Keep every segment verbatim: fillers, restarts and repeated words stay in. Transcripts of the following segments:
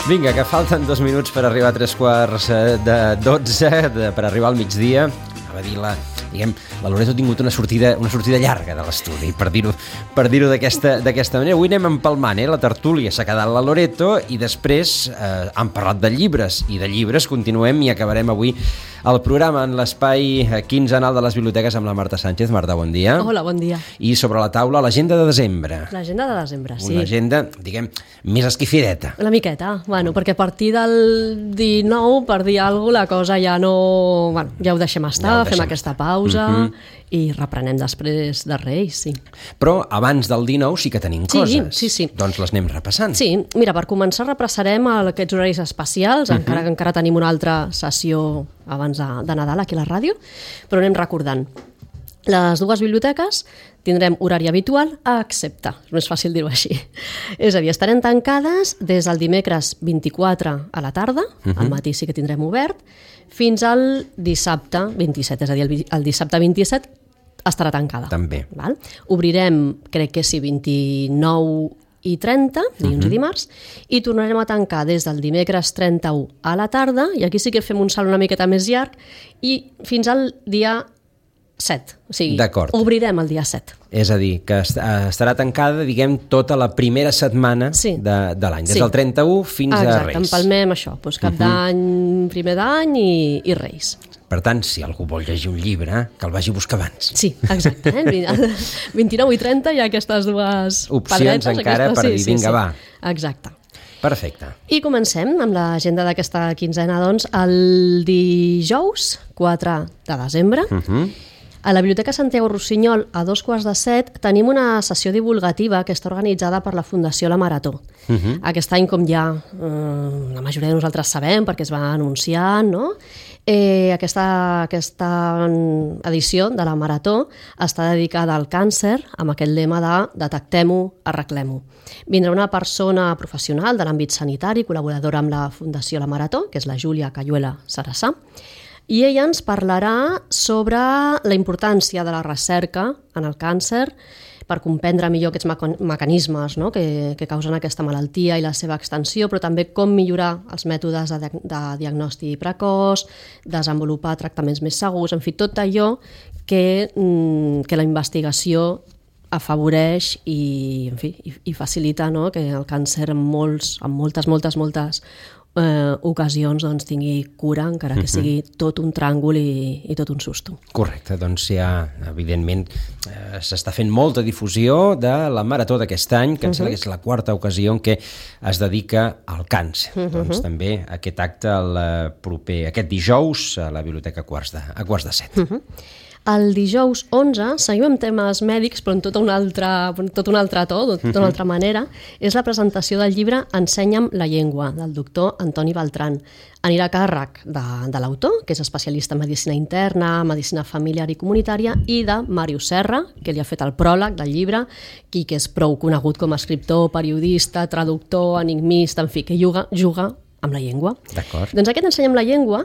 Vinga, que falten dos minuts per arribar a tres quarts de dotze, de, per arribar al migdia. A dir la, diguem, la Loreto ha tingut una sortida, una sortida llarga de l'estudi, per dir-ho per dir-ho d'aquesta d'aquesta manera. Avui anem empalmant, eh? La tertúlia s'ha quedat la Loreto i després eh, han parlat de llibres, i de llibres continuem i acabarem avui el programa en l'espai quinzenal de les biblioteques amb la Marta Sánchez. Marta, bon dia. Hola, bon dia. I sobre la taula, l'agenda de desembre. L'agenda de desembre, sí. Una agenda, diguem, més esquifideta. Una miqueta, bueno, perquè a partir del dinou, per dir alguna cosa, la cosa ja no... Bueno, ja ho deixem estar, ja ho fem aquesta pausa uh-huh. i reprenem després de Reis, sí. Però abans del dinou sí que tenim sí, coses. Sí, sí. Doncs les anem repassant. Sí, mira, per començar repassarem aquests horaris especials, uh-huh. encara que encara tenim una altra sessió abans de, de Nadal aquí a la ràdio, però anem recordant. Les dues biblioteques tindrem horari habitual, excepte, és més fàcil dir-ho així. És a dir, estarem tancades des del dimecres vint-i-quatre a la tarda, uh-huh. al matí sí que tindrem obert, fins al dissabte vint-i-set, és a dir, el, el dissabte vint-i-set estarà tancada. També. Val? Obrirem, crec que sí, vint-i-nou i trenta, dilluns uh-huh. i dimarts, i tornarem a tancar des del dimecres trenta-u a la tarda, i aquí sí que fem un salt una miqueta més llarg, i fins al dia set, o sigui, obrirem el dia set. És a dir, que estarà tancada, diguem, tota la primera setmana sí. de, de l'any, des sí. del trenta-u fins Exacte, a Reis. Exacte, empalmem això, doncs cap uh-huh. d'any, primer d'any i, i Reis. Per tant, si algú vol llegir un llibre, que el vagi a buscar abans. Sí, exacte. Eh? vint-i-nou i trenta hi ha aquestes dues opcions pedretes, encara aquestes, per sí, dir, vinga, sí, sí. va. Exacte. Perfecte. I comencem amb l'agenda d'aquesta quinzena, doncs, el dijous quatre de desembre. Uh-huh. A la Biblioteca Santiago Rossinyol, a dos quarts de set, tenim una sessió divulgativa que està organitzada per la Fundació La Marató. Uh-huh. Aquest any, com ja eh, la majoria de nosaltres sabem, perquè es va anunciar, no? eh, aquesta, aquesta edició de la Marató està dedicada al càncer, amb aquest lema de detectem-ho, arreglem-ho. Vindrà una persona professional de l'àmbit sanitari, col·laboradora amb la Fundació La Marató, que és la Júlia Cayuela Sarassà, i ella ens parlarà sobre la importància de la recerca en el càncer per comprendre millor aquests mecanismes, no? que, que causen aquesta malaltia i la seva extensió, però també com millorar els mètodes de, de diagnòstic precoç, desenvolupar tractaments més segurs, en fi, tot allò que, que la investigació afavoreix i, en fi, i, i facilita, no? que el càncer en, molts, en moltes, moltes, moltes Eh, ocasions doncs, tingui cura, encara que sigui tot un tràngol i, i tot un susto. Correcte, doncs ja, evidentment, eh, s'està fent molta difusió de la Marató d'aquest any, que em uh-huh. sembla que és la quarta ocasió en què es dedica al càncer. Uh-huh. Doncs també aquest acte el proper, aquest dijous a la Biblioteca a quarts de, a quarts de set. Uh-huh. El dijous onze, seguim amb temes mèdics, però en tot un altre, tot un altre to, de tota una altra manera, és la presentació del llibre Ensenya'm la llengua, del doctor Antoni Beltran. Anirà a càrrec de, de l'autor, que és especialista en medicina interna, medicina familiar i comunitària, i de Màrius Serra, que li ha fet el pròleg del llibre, qui que és prou conegut com a escriptor, periodista, traductor, enigmista, en fi, que juga, juga amb la llengua. D'acord. Doncs aquest Ensenya'm la llengua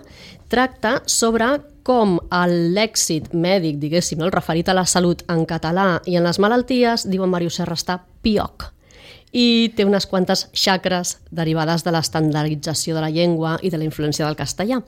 tracta sobre com l'èxit mèdic, diguéssim, el referit a la salut en català i en les malalties, diuen Màrius Serra, està pioc. I té unes quantes xacres derivades de l'estandardització de la llengua i de la influència del castellà.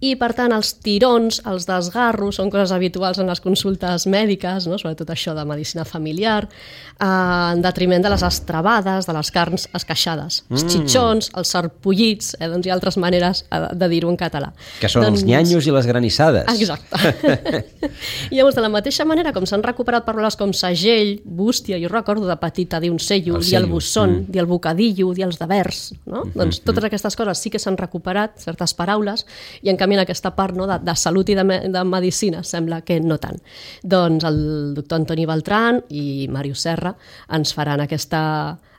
I, per tant, els tirons, els desgarros, són coses habituals en les consultes mèdiques, no? Sobretot això de medicina familiar, eh, en detriment de les estrebades, de les carns esqueixades. Mm. Els xitxons, els sarpullits, eh, doncs hi ha altres maneres de dir-ho en català. Que són doncs... els nyanyos i les granissades. Exacte. I llavors, de la mateixa manera, com s'han recuperat paraules com segell, bústia, jo recordo de petita dir un sello, el dir el busson, mm. dir el bocadillo, dir els devers, no? Mm-hmm. Doncs totes aquestes coses sí que s'han recuperat, certes paraules, i en canvi en aquesta part, no, de, de salut i de, me, de medicina sembla que no tant. Doncs el doctor Antoni Beltran i Màrius Serra ens faran aquesta,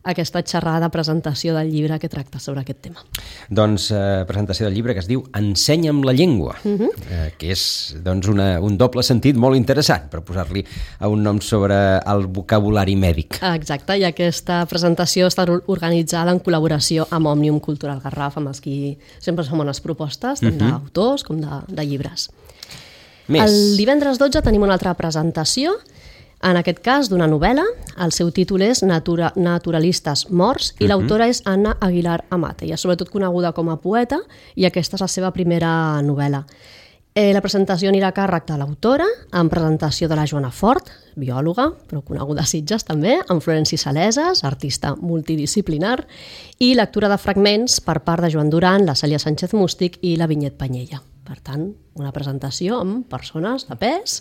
aquesta xerrada de presentació del llibre que tracta sobre aquest tema. Doncs eh, presentació del llibre que es diu Ensenya'm la llengua, uh-huh. eh, que és doncs, una, un doble sentit molt interessant per posar-li un nom sobre el vocabulari mèdic. Exacte, i aquesta presentació està organitzada en col·laboració amb Òmnium Cultural Garraf, amb els qui sempre són bones propostes, tant uh-huh. d'autors com de, de llibres. Més. El divendres dotze tenim una altra presentació. En aquest cas, d'una novel·la, el seu títol és Natura, Naturalistes morts i l'autora és Anna Aguilar Amat. Ella és sobretot coneguda com a poeta i aquesta és la seva primera novel·la. Eh, la presentació anirà a càrrec de l'autora, amb presentació de la Joana Fort, biòloga, però coneguda a Sitges també, amb Florenci Saleses, artista multidisciplinar, i lectura de fragments per part de Joan Duran, la Cèlia Sánchez Mústic i la Vinyet Panyella. Per tant, una presentació amb persones de pes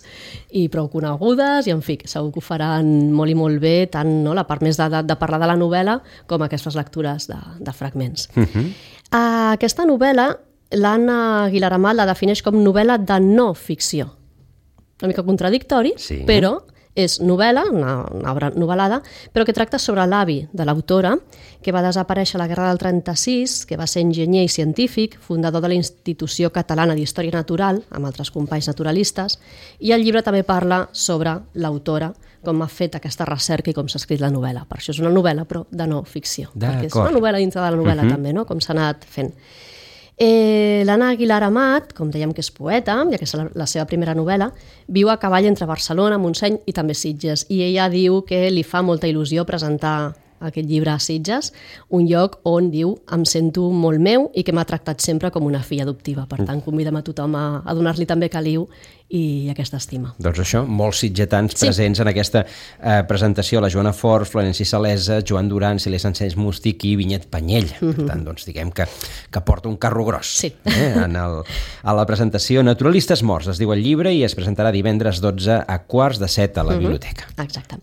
i prou conegudes i, en fi, segur que ho faran molt i molt bé, tant no, la part més de, de, de parlar de la novel·la com aquestes lectures de, de fragments. Uh-huh. uh, aquesta novel·la l'Anna Aguilar Amat la defineix com novel·la de no ficció. Una mica contradictori, sí. Però és novel·la, una, una obra novel·lada, però que tracta sobre l'avi de l'autora, que va desaparèixer a la Guerra del trenta-sis, que va ser enginyer i científic, fundador de la Institució Catalana d'Història Natural, amb altres companys naturalistes, i el llibre també parla sobre l'autora, com ha fet aquesta recerca i com s'ha escrit la novel·la. Per això és una novel·la, però de no ficció. Perquè és una novel·la dintre de la novel·la uh-huh. també, no? Com s'ha anat fent. Eh, L'Anna Aguilar Amat, com dèiem que és poeta, ja que és la, la seva primera novel·la, viu a cavall entre Barcelona, Montseny i també Sitges, i ella diu que li fa molta il·lusió presentar aquest llibre a Sitges, un lloc on, diu, em sento molt meu i que m'ha tractat sempre com una filla adoptiva. Per tant, convidem a tothom a, a donar-li també caliu i aquesta estima. Doncs això, molts sitgetans sí. presents en aquesta eh, presentació, la Joana Fort, Florenci Salesa, Joan Duran, Cèlia Sánchez Mústic i Vinyet Panyell. Mm-hmm. Per tant, doncs, diguem que, que porta un carro gros sí. eh, en el, a la presentació. Naturalistes morts, es diu el llibre, i es presentarà divendres dotze a quarts de set a la mm-hmm. biblioteca. Exacte.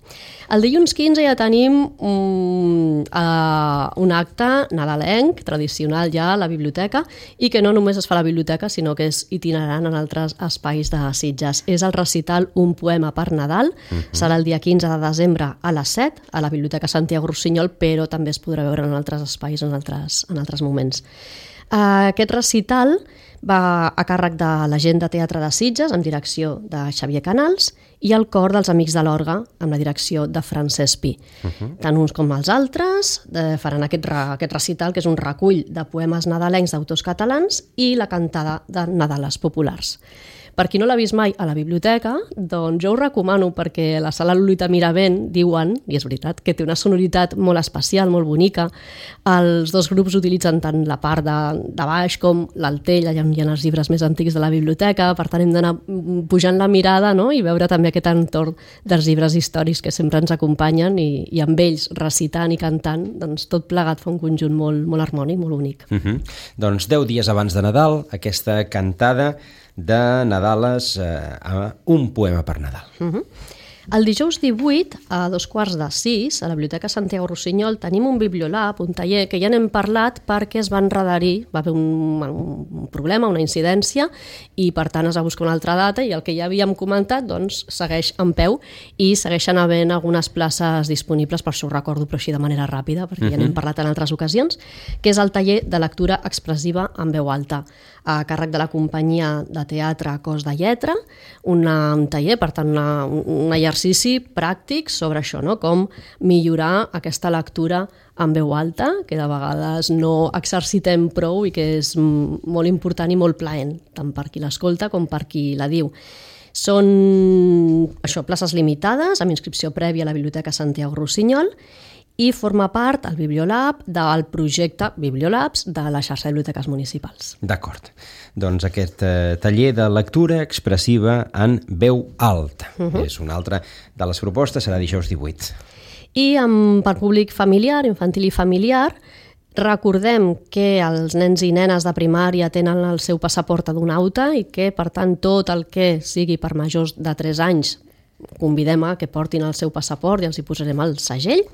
El dilluns quinze ja tenim un, uh, un acte nadalenc, tradicional ja a la biblioteca, i que no només es fa a la biblioteca, sinó que és itinerant en altres espais de Sitges. És el recital Un poema per Nadal, uh-huh. serà el dia quinze de desembre a les set, a la Biblioteca Santiago Rossinyol, però també es podrà veure en altres espais, en altres, en altres moments. Uh, aquest recital va a càrrec de la gent de Teatre de Sitges, amb direcció de Xavier Canals, i el cor dels Amics de l'Orgue, amb la direcció de Francesc Pi. Uh-huh. Tant uns com els altres eh, faran aquest, aquest recital, que és un recull de poemes nadalencs d'autors catalans i la cantada de Nadales populars. Per qui no l'ha vist mai a la biblioteca, doncs jo ho recomano, perquè la sala Lolita Miravent diuen, i és veritat, que té una sonoritat molt especial, molt bonica. Els dos grups utilitzen tant la part de, de baix com l'altell, allà on hi ha els llibres més antics de la biblioteca, per tant hem d'anar pujant la mirada, no?, i veure també aquest entorn dels llibres històrics que sempre ens acompanyen, i, i amb ells recitant i cantant, doncs tot plegat fa un conjunt molt, molt harmònic, molt bonic. Uh-huh. Doncs deu dies abans de Nadal, aquesta cantada de Nadales eh, a Un poema per Nadal. Uh-huh. El dijous divuit, a dos quarts de sis, a la Biblioteca Santiago Rossinyol, tenim un bibliolab, un taller, que ja n'hem parlat perquè es va enredarir, va haver un, un problema, una incidència, i per tant es va buscar una altra data, i el que ja havíem comentat doncs, segueix en peu, i segueixen havent algunes places disponibles, per això ho recordo, però així de manera ràpida, perquè uh-huh. ja n'hem parlat en altres ocasions, que és el taller de lectura expressiva en veu alta, a càrrec de la companyia de teatre Cos de Lletra, una, un taller, per tant, una, un exercici pràctic sobre això, no? Com millorar aquesta lectura en veu alta, que de vegades no exercitem prou i que és molt important i molt plaent, tant per qui l'escolta com per qui la diu. Són això, places limitades, amb inscripció prèvia a la Biblioteca Santiago Rossinyol, i forma part, el Bibliolab, del projecte Bibliolabs de la xarxa de biblioteques municipals. D'acord. Doncs aquest eh, taller de lectura expressiva en veu alta. Uh-huh. És una altra de les propostes, serà dijous divuit. I amb, per públic familiar, infantil i familiar, recordem que els nens i nenes de primària tenen el seu passaport adonauta i que, per tant, tot el que sigui per majors de tres anys convidem a que portin el seu passaport i els hi posarem el segell.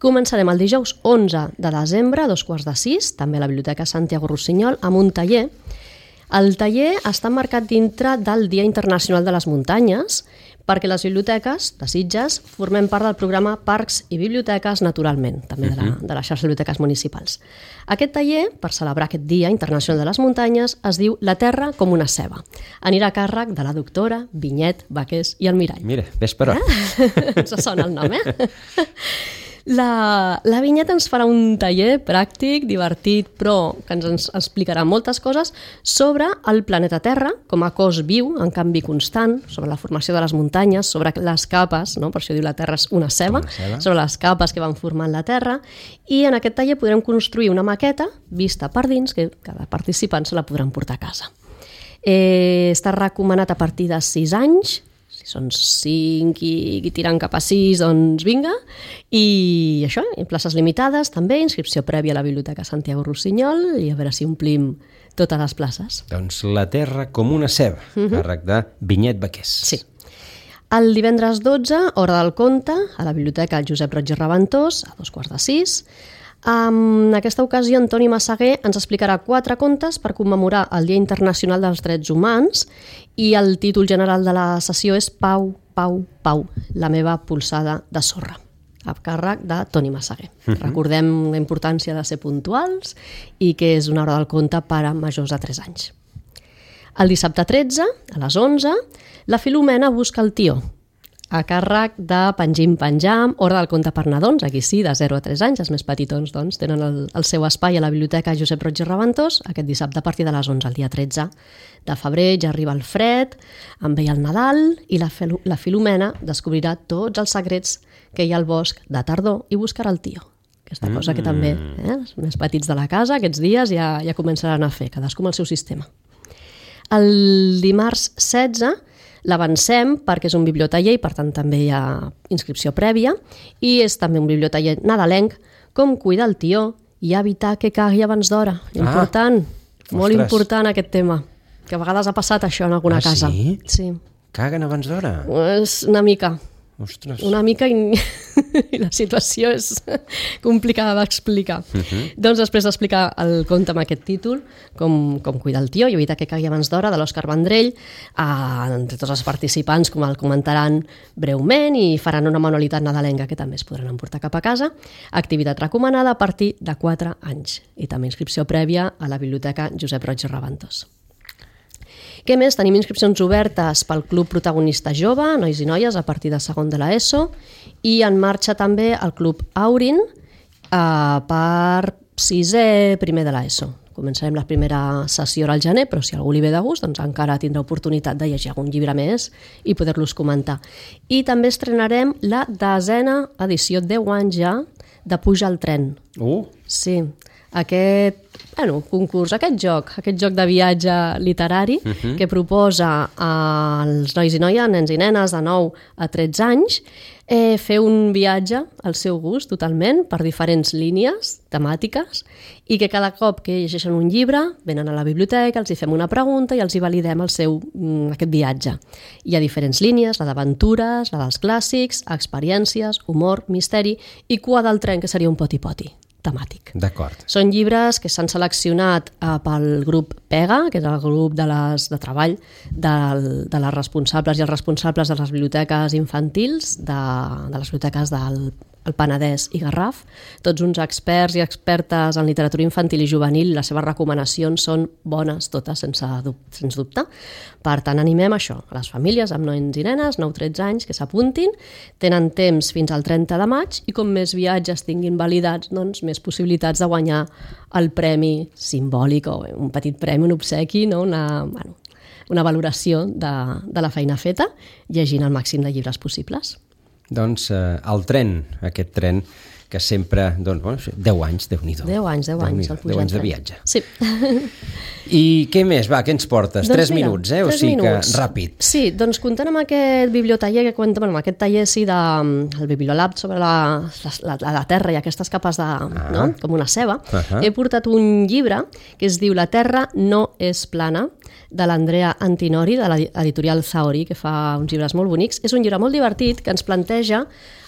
Començarem el dijous onze de desembre, a dos quarts de sis, també a la Biblioteca Santiago Rossinyol, amb un taller. El taller està marcat dintre del Dia Internacional de les Muntanyes, perquè les biblioteques de Sitges formem part del programa Parcs i Biblioteques Naturalment, també de la, de la xarxa de biblioteques municipals. Aquest taller, per celebrar aquest Dia Internacional de les Muntanyes, es diu La Terra com una ceba. Anirà a càrrec de la doctora Vinyet, Baqués i Almirall. Mira, ves per on. Eh? Ens sona el nom, eh? La, la vinyeta ens farà un taller pràctic, divertit, però que ens, ens explicarà moltes coses sobre el planeta Terra com a cos viu, en canvi constant, sobre la formació de les muntanyes, sobre les capes, no? Per això diu la Terra és una ceba, una ceba, sobre les capes que van formant la Terra, i en aquest taller podrem construir una maqueta vista per dins que cada participant se la podran portar a casa. Eh, està recomanat a partir de sis anys, si són cinc i, i tirant cap a sis, doncs vinga. I això, en places limitades també, inscripció prèvia a la Biblioteca Santiago Rossinyol i a veure si omplim totes les places. Doncs La Terra com una ceba, uh -huh. càrrec de Vinyet Baqués. Sí. El divendres dotze, hora del conte, a la Biblioteca Josep Roig i Raventós, a dos quarts de sis. En aquesta ocasió, Antoni Massaguer ens explicarà quatre contes per commemorar el Dia Internacional dels Drets Humans i el títol general de la sessió és Pau, Pau, Pau, la meva polsada de sorra, a càrrec de Toni Massaguer. Uh -huh. Recordem la importància de ser puntuals i que és una hora del conte per a majors de tres anys. El dissabte tretze, a les onze, la Filomena busca el tió, a càrrec de Pengim Penjam, hora del conte per nadons, aquí sí, de zero a tres anys, els més petitons doncs, tenen el, el seu espai a la Biblioteca Josep Roig i Raventós, aquest dissabte a partir de les onze, el dia tretze de febrer, ja arriba el fred, en ve el Nadal i la, la Filomena descobrirà tots els secrets que hi ha al bosc de tardor i buscarà el tió. Aquesta cosa que també eh, els més petits de la casa aquests dies ja, ja començaran a fer, cadascú amb el seu sistema. El dimarts setze l'avancem perquè és un bibliotaller i per tant també hi ha inscripció prèvia i és també un bibliotaller nadalenc, com cuidar el tió i evitar que cagui abans d'hora. Important, ah, molt ostres. important aquest tema, que a vegades ha passat això en alguna ah, casa. Sí? Sí. Caguen abans d'hora? És una mica. Ostres. Una mica i, i la situació és complicada d'explicar. Uh -huh. Doncs després d'explicar el conte amb aquest títol, com, com cuidar el tió i evitar que cagui abans d'hora, de l'Òscar Vendrell, eh, entre tots els participants com el comentaran breument i faran una manualitat nadalenca que també es podran emportar cap a casa. Activitat recomanada a partir de quatre anys i també inscripció prèvia a la Biblioteca Josep Roig i Raventós. Què més? Tenim inscripcions obertes pel Club Protagonista Jove, nois i noies, a partir de segon de l'ESO, i en marxa també el Club Aurin eh, per sisè primer de l'ESO. Començarem la primera sessió al gener, però si algú li ve de gust, doncs encara tindrà oportunitat de llegir algun llibre més i poder-los comentar. I també estrenarem la desena edició, deu anys ja, de Puja al tren. Uh. Sí, aquest bueno, concurs, aquest joc, aquest joc de viatge literari uh -huh. que proposa als nois i noies, nens i nenes de nou a tretze anys, eh, fer un viatge al seu gust totalment per diferents línies temàtiques i que cada cop que llegeixen un llibre venen a la biblioteca, els hi fem una pregunta i els hi validem el seu, aquest viatge. Hi ha diferents línies, la d'aventures, la dels clàssics, experiències, humor, misteri i Cua del tren, que seria un poti-poti temàtic. D'acord. Són llibres que s'han seleccionat eh, pel grup PEGA, que és el grup de, les, de treball de, de les responsables i els responsables de les biblioteques infantils, de, de les biblioteques del el Penedès i Garraf, tots uns experts i expertes en literatura infantil i juvenil, les seves recomanacions són bones totes, sense, sens dubte. Per tant, animem això, a les famílies amb nens i nenes, nou a tretze anys, que s'apuntin, tenen temps fins al trenta de maig i com més viatges tinguin validats, doncs més possibilitats de guanyar el premi simbòlic o un petit premi, un obsequi, no? una, bueno, una valoració de, de la feina feta, llegint el màxim de llibres possibles. Doncs eh, el tren, aquest tren que sempre, doncs, bueno, deu anys, Déu-n'hi-do. deu anys, deu anys, el deu anys de viatge. Sí. I què més? Va, què ens portes? Doncs tres mira, minuts, eh? O tres sigui minuts. que ràpid. Sí, doncs comptant amb aquest bibliotaller que compta, bueno, amb aquest taller sí, de, el Bibliolab sobre la, la, la, la Terra i aquestes capes de, ah. no? com una ceba, uh -huh. he portat un llibre que es diu La Terra no és plana, de l'Andrea Antinori, de l'editorial Zaori, que fa uns llibres molt bonics. És un llibre molt divertit que ens planteja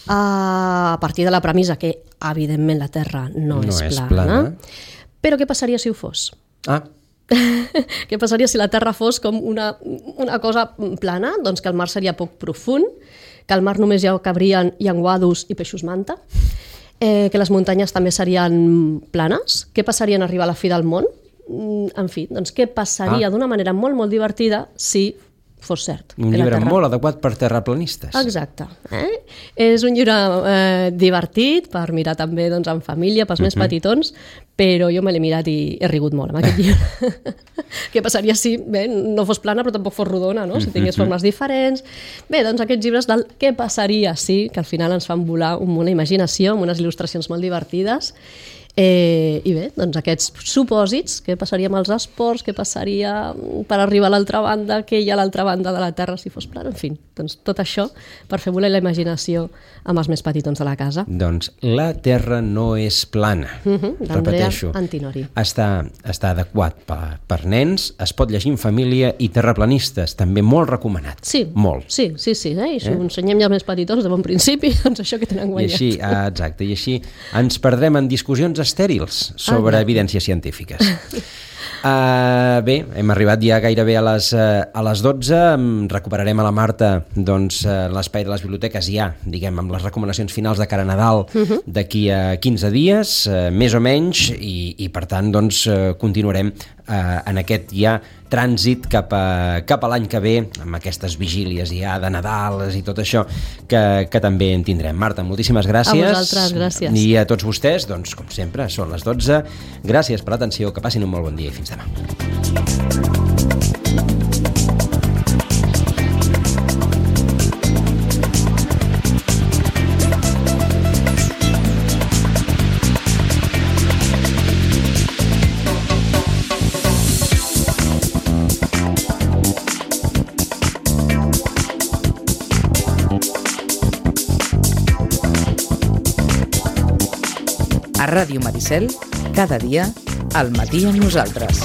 a partir de la premissa que, evidentment, la Terra no, no és, és plana, plana, però què passaria si ho fos? Ah. Què passaria si la Terra fos com una, una cosa plana? Doncs que el mar seria poc profund, que al mar només hi cabrien llenguados i peixos manta, eh, que les muntanyes també serien planes. Què passaria en arribar a la fi del món? En fi, doncs què passaria ah. d'una manera molt, molt divertida si fos cert. Un llibre terra... molt adequat per terraplanistes. Exacte. Eh? És un llibre eh, divertit per mirar també doncs, en família, pels uh-huh. més petitons, però jo me l'he mirat i he rigut molt amb aquest llibre. Què passaria si bé, no fos plana però tampoc fos rodona, no? Si tingués formes diferents. Bé, doncs aquests llibres del què passaria si, que al final ens fan volar amb una imaginació, amb unes il·lustracions molt divertides. Eh, I bé, doncs aquests supòsits, què passaria amb els esports, què passaria per arribar a l'altra banda, què hi ha a l'altra banda de la Terra si fos plana, en fi, doncs tot això per fer volar la imaginació amb els més petitons de la casa. Doncs la Terra no és plana, uh-huh, repeteixo, Antinori. Està, està adequat per, per nens, es pot llegir en família i terraplanistes, també molt recomanat. Sí, molt. sí, sí, sí eh? I si eh? ho ensenyem ja als més petitons de bon principi, doncs això que tenen guanyat. I així, ah, exacte, i així ens perdrem en discussions estèrils sobre ah, evidències científiques. Uh, bé, hem arribat ja gairebé a les, uh, a les dotze, recuperarem a la Marta doncs, uh, l'espai de les biblioteques ja, diguem, amb les recomanacions finals de cara a Nadal uh-huh. d'aquí a quinze dies, uh, més o menys, i, i per tant doncs, uh, continuarem uh, en aquest ja trànsit cap a, cap a l'any que ve, amb aquestes vigílies ja de Nadal i tot això, que, que també en tindrem. Marta, moltíssimes gràcies. A vosaltres, gràcies. I a tots vostès, doncs, com sempre, són les dotze. Gràcies per l'atenció, que passin un molt bon dia i fins demà. A Ràdio Maricel, cada dia, al matí amb nosaltres.